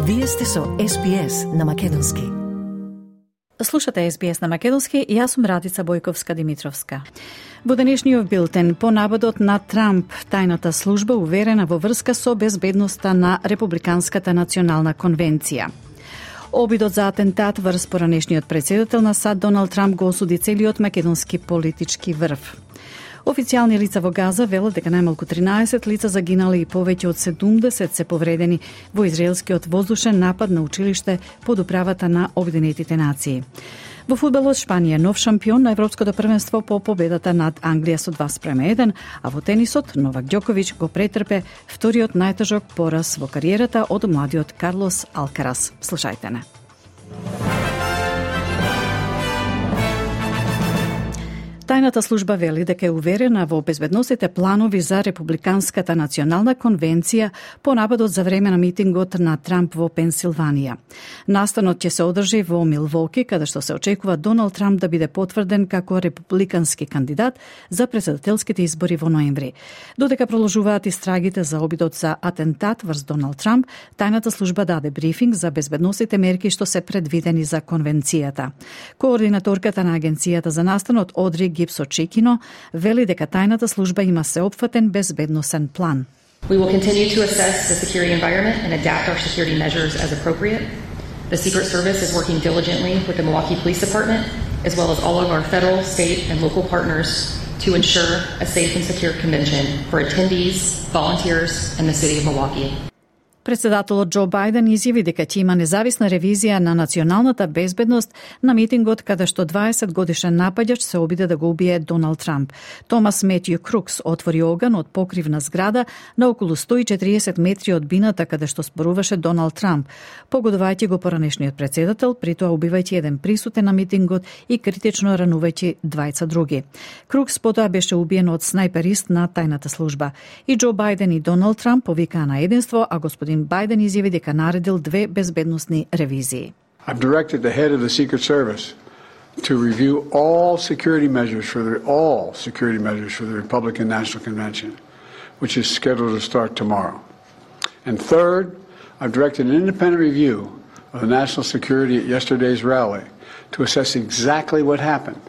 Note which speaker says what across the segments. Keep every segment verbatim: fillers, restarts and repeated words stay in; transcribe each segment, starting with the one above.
Speaker 1: Вие сте со Ес Би Ес на Македонски.
Speaker 2: Слушате Ес Би Ес на Македонски и јас сум Радица Бојковска-Димитровска. Во денешниот билтен, по наводот на Трамп, тајната служба уверена во врска со безбедноста на Републиканската национална конвенција. Обидот за атентат врз поранешниот председател на САД Доналд Трамп го осуди целиот македонски политички врв. Официјални лица во Газа велат дека најмалку тринаесет лица загинали и повеќе од седумдесет се повредени во израелскиот воздушен напад на училиште под управата на Обединетите нации. Во фудбалот Шпанија нов шампион на Европското првенство по победата над Англија со два спрема еден, а во тенисот Новак Ѓоковиќ го претрпе вториот најтежок пораз во кариерата од младиот Карлос Алкарас. Слушајте не. Тајната служба вели дека е уверена во безбедносните планови за Републиканската национална конвенција по нападот за време на митингот на Трамп во Пенсилванија. Настанот ќе се одржи во Милвоки, каде што се очекува Доналд Трамп да биде потврден како републикански кандидат за претседателските избори во ноември. Додека продолжуваат истрагите за обидот за атентат врз Доналд Трамп, тајната служба даде брифинг за безбедносните мерки што се предвидени за конвенцијата. Координаторката на агенцијата за настанот Одри Гипсо Чекино вели дека тајната служба има сеопфатен безбедносен план.
Speaker 3: We will continue to assess the security environment and adapt our security measures as appropriate. The Secret Service is working diligently with the Milwaukee Police Department, as well as all of our federal, state, and local partners to ensure a safe and secure convention for attendees, volunteers, and the city of Milwaukee.
Speaker 2: Председателот Џо Бајден изјави дека ќе има независна ревизија на националната безбедност на митингот каде што дваесет годишен напаѓач се обиде да го убие Доналд Трамп. Томас Метју Крукс отвори оган од покривна зграда на околу сто и четириесет метри од бината каде што зборуваше Доналд Трамп, погодувајќи го поранешниот председател, при тоа убивајќи еден присутен на митингот и критично ранувајќи двајца други. Крукс потоа беше убиен од снајперист на тајната служба. И Џо Бајден и Доналд Трамп повикаа на единство, а господин Бајден изјави дека наредил две безбедносни ревизии.
Speaker 4: I've directed the head of the Secret Service to review all security measures for the all security measures for the Republican National Convention, which is scheduled to start tomorrow. And third, I've directed an independent review of the national security at yesterday's rally to assess exactly what happened.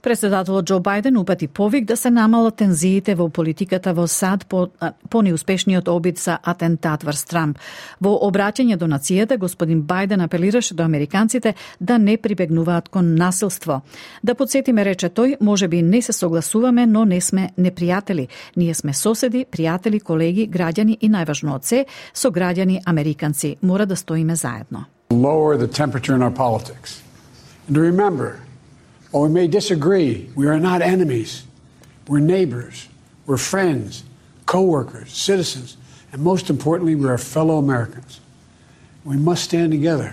Speaker 2: Председателот Џо Бајден упати повик да се намалат тензиите во политиката во САД по, по неуспешниот обид за атентат врз Трамп. Во обраќање до нацијата, господин Бајден апелираше до американците да не прибегнуваат кон насилство. Да подсетиме, рече тој, може би не се согласуваме, но не сме непријатели. Ние сме соседи, пријатели, колеги, граѓани и најважно од се, со граѓани американци. Мора да стоиме заедно.
Speaker 4: Lower the temperature in our politics. And to remember, while we may disagree, we are not enemies. We're neighbors, we're friends, co-workers, citizens, and most importantly, we are fellow Americans. We must stand together.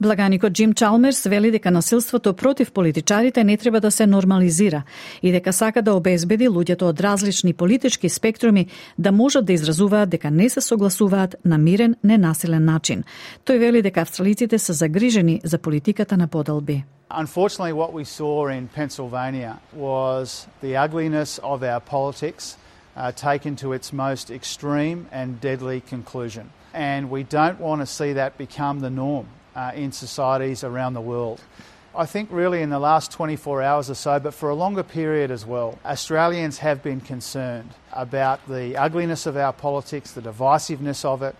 Speaker 2: Благаникот Џим Чалмерс вели дека насилството против политичарите не треба да се нормализира и дека сака да обезбеди луѓето од различни политички спектруми да можат да изразуваат дека не се согласуваат на мирен, ненасилен начин. Тој вели дека австралиците се загрижени за политиката на поделби.
Speaker 5: Unfortunately, what we saw in Pennsylvania was the ugliness of our politics uh, taken to its most extreme and deadly conclusion. And we don't want to see that become the norm uh, in societies around the world. I think really in the last twenty-four hours or so, but for a longer period as well, Australians have been concerned about the ugliness of our politics, the divisiveness of it,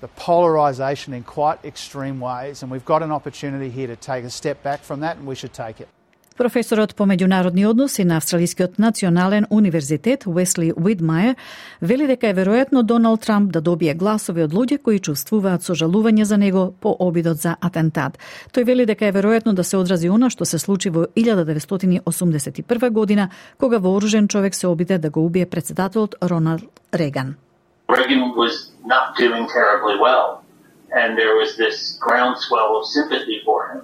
Speaker 5: the polarisation in quite extreme ways, and we've got an opportunity here to take a step back from that, and we should take it.
Speaker 2: Професорот по меѓународни односи на Австралискиот национален универзитет Уесли Уидмајер вели дека е веројатно Доналд Трамп да добие гласови од луѓе кои чувствуваат сожалување за него по обидот за атентат. Тој вели дека е веројатно да се одрази она што се случи во илјада деветстотини осумдесет и прва година, кога вооружен човек се обиде да го убие председателот Роналд Реган.
Speaker 6: Reagan was not doing terribly well, and there was this groundswell of sympathy for him.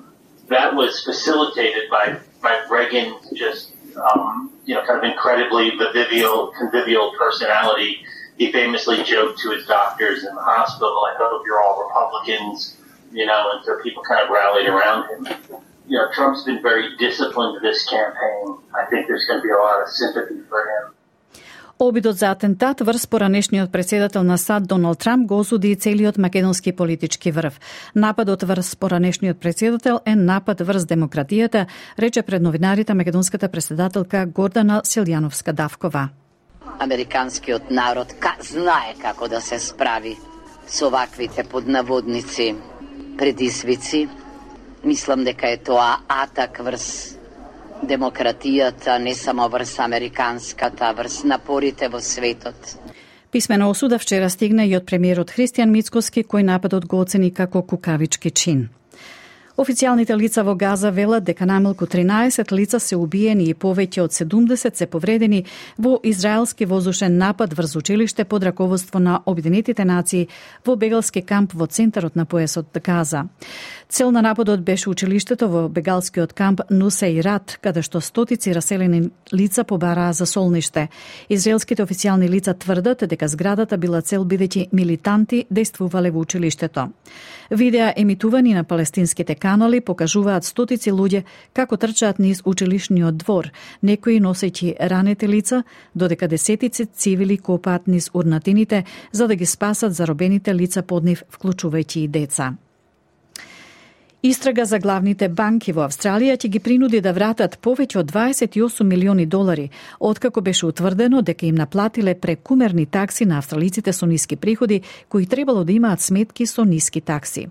Speaker 6: That was facilitated by, by Reagan's just, um, you know, kind of incredibly convivial, convivial personality. He famously joked to his doctors in the hospital, I hope you're all Republicans, you know, and so people kind of rallied around him. You know, Trump's been very disciplined this campaign. I think there's going to be a lot of sympathy for him.
Speaker 2: Обидот за атентат врз поранешниот председател на САД Доналд Трамп го осуди и целиот македонски политички врв. Нападот врз поранешниот председател е напад врз демократијата, рече пред новинарите македонската председателка Гордана Силјановска-Давкова.
Speaker 7: Американскиот народ знае како да се справи со ваквите поднаводници предизвици. Мислам дека е тоа атак врз демократијата, не само врз американската, врз напорите во светот.
Speaker 2: Писмена осуда вчера стигна и од премиерот Христијан Мицкоски, кој нападот го оцени како кукавички чин. Официјалните лица во Газа велат дека најмалку тринаесет лица се убиени и повеќе од седумдесет се повредени во израелски воздушен напад врз училиште под раководство на Обединетите нации во бегалски камп во центарот на појасот Газа. Цел на нападот беше училиштето во бегалскиот камп Нусейрат, каде што стотици раселени лица побараа за солниште. Израелските официјални лица тврдат дека зградата била цел бидејќи милитанти действувале во училиштето. Видеа емитувани на палестинските канали покажуваат стотици луѓе како трчаат низ училишниот двор, некои носејќи ранете лица, додека десетици цивили копаат низ урнатините за да ги спасат заробените лица под нив, вклучувајќи и деца. Истрага за главните банки во Австралија ќе ги принуди да вратат повеќе од дваесет и осум милиони долари, откако беше утврдено дека им наплатиле прекумерни такси на австралиците со ниски приходи, кои требало да имаат сметки со ниски такси.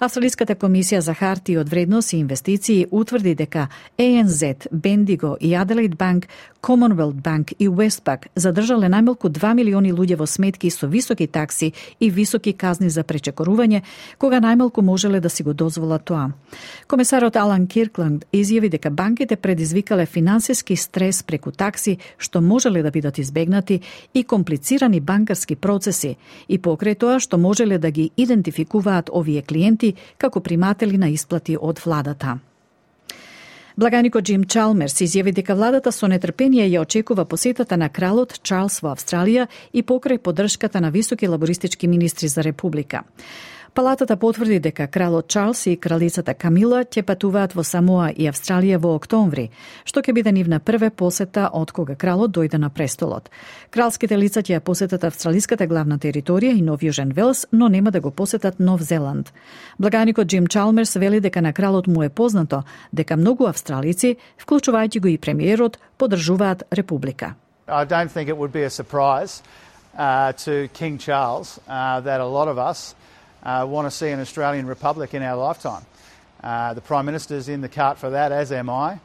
Speaker 2: Австралиската комисија за хартии од вредност и инвестиции утврди дека Е Ен Зет, Бендиго и Аделаид Банк, Commonwealth Bank и Westpac задржале најмалку два милиони луѓе во сметки со високи такси и високи казни за пречекорување, кога најмалку можеле да си го дозволат тоа. Комесарот Алан Киркланд изјави дека банките предизвикале финансиски стрес преку такси што можеле да бидат избегнати и комплицирани банкарски процеси и покрај тоа што можеле да ги идентификуваат овие клиенти како приматели на исплати од владата. Благаникот Джим Чалмерс изјави дека владата со нетрпение ја очекува посетата на кралот Чарлс во Австралија и покрај поддршката на високи лабористички министри за република. Палатата потврди дека кралот Чарлс и кралицата Камила ќе патуваат во Самоа и Австралија во октомври, што ќе биде нивна прва посета од кога кралот дојде на престолот. Кралските лица ќе ја посетат австралиската главна територија и Нов Јужен Велс, но нема да го посетат Нов Зеланд. Благаникот Джим Чалмерс вели дека на кралот му е познато дека многу австралици, вклучувајќи го и премиерот, поддржуваат република.
Speaker 5: I don't think it would be a surprise uh, to King Charles uh, that a lot of us Uh, want to see an Australian republic in our lifetime. Uh, the Prime Minister's in the cart for that, as am I,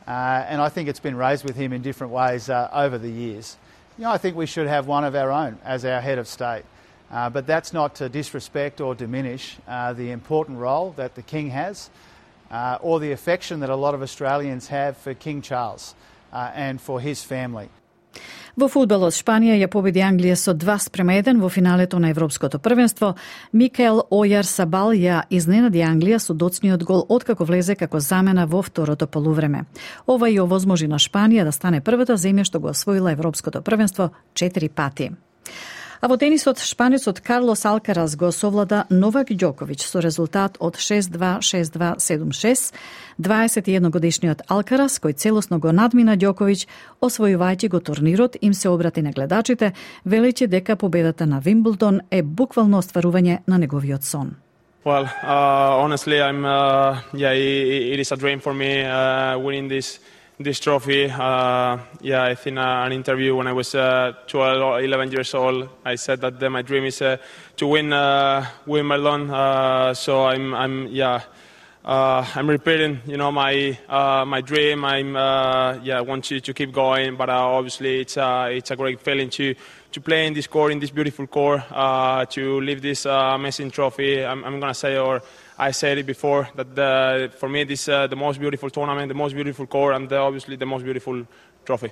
Speaker 5: uh, and I think it's been raised with him in different ways uh, over the years. You know, I think we should have one of our own as our head of state, uh, but that's not to disrespect or diminish uh, the important role that the King has uh, or the affection that a lot of Australians have for King Charles uh, and for his family.
Speaker 2: Во фудбалот Шпанија ја победи Англија со два спрема еден во финалето на Европското првенство. Микаел Ојар Сабал ја изненади Англија со доцниот гол откако влезе како замена во второто полувреме. Ова ја овозможи на Шпанија да стане првата земја што го освоила Европското првенство четири пати. А во тенисот шпанецот Карлос Алкарас го совлада Новак Ѓоковиќ со резултат од шест два, шест два, седум шест. дваесет и едногодишниот Алкарас, кој целосно го надмина Ѓоковиќ, освојувајќи го турнирот, им се обрати на гледачите, велејќи дека победата на Вимблдон е буквално остварување на неговиот сон.
Speaker 8: Well, uh, honestly, I'm. Uh, yeah, it, it is a dream for me uh, winning this this trophy. Uh, yeah, I think uh, an interview when I was uh, twelve or eleven years old, I said that uh, my dream is uh, to win uh, Wimbledon. Uh, so I'm, I'm, yeah, uh, I'm repeating, you know, my uh, my dream. I'm, uh, yeah, I want you to keep going, but uh, obviously it's uh, it's a great feeling to to play in this court, in this beautiful court, uh, to live this uh, amazing trophy. I'm, I'm gonna say, or I said it before, that the, for me this is uh, the most beautiful tournament, the most beautiful court, and uh, obviously the most beautiful trophy.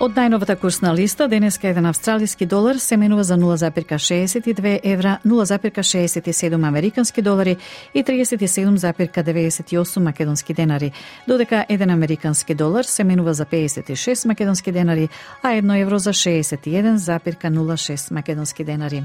Speaker 2: Од најновата курсна листа, денеска еден австралиски долар се менува за нула запирка шеесет и две евра, нула запирка шеесет и седум американски долари и триесет и седум запирка деветдесет и осум македонски денари, додека еден американски долар се менува за пеесет и шест македонски денари, а едно евро за шеесет и еден запирка нула шест македонски денари.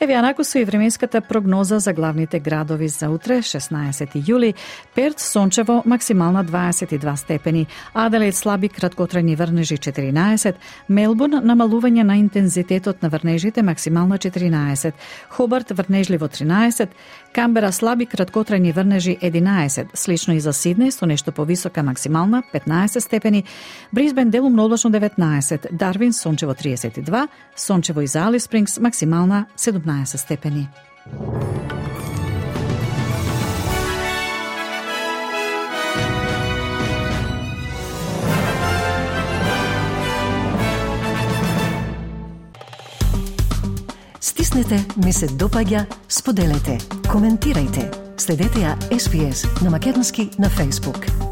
Speaker 2: Еве анаку со и временската прогноза за главните градови за утре, шеснаесети јули. Перт сончево, максимална дваесет и два степени, Аделаид слаби краткотрајни врнежи четиринаесет, Мелбурн намалување на интензитетот на врнежите, максимална четиринаесет, Хобарт врнежливо тринаесет, Камбера слаби краткотрајни врнежи единаесет, слично и за Сиднеј со нешто повисока максимална петнаесет степени, Брисбен делумно облачно деветнаесет, Дарвин сончево триесет и два, сончево и за Алис Спрингс максимална седумнаесет степени.
Speaker 1: Стиснете, ми се допаѓа, споделете, коментирајте. Следете ја Ес Би Ес на македонски на Facebook.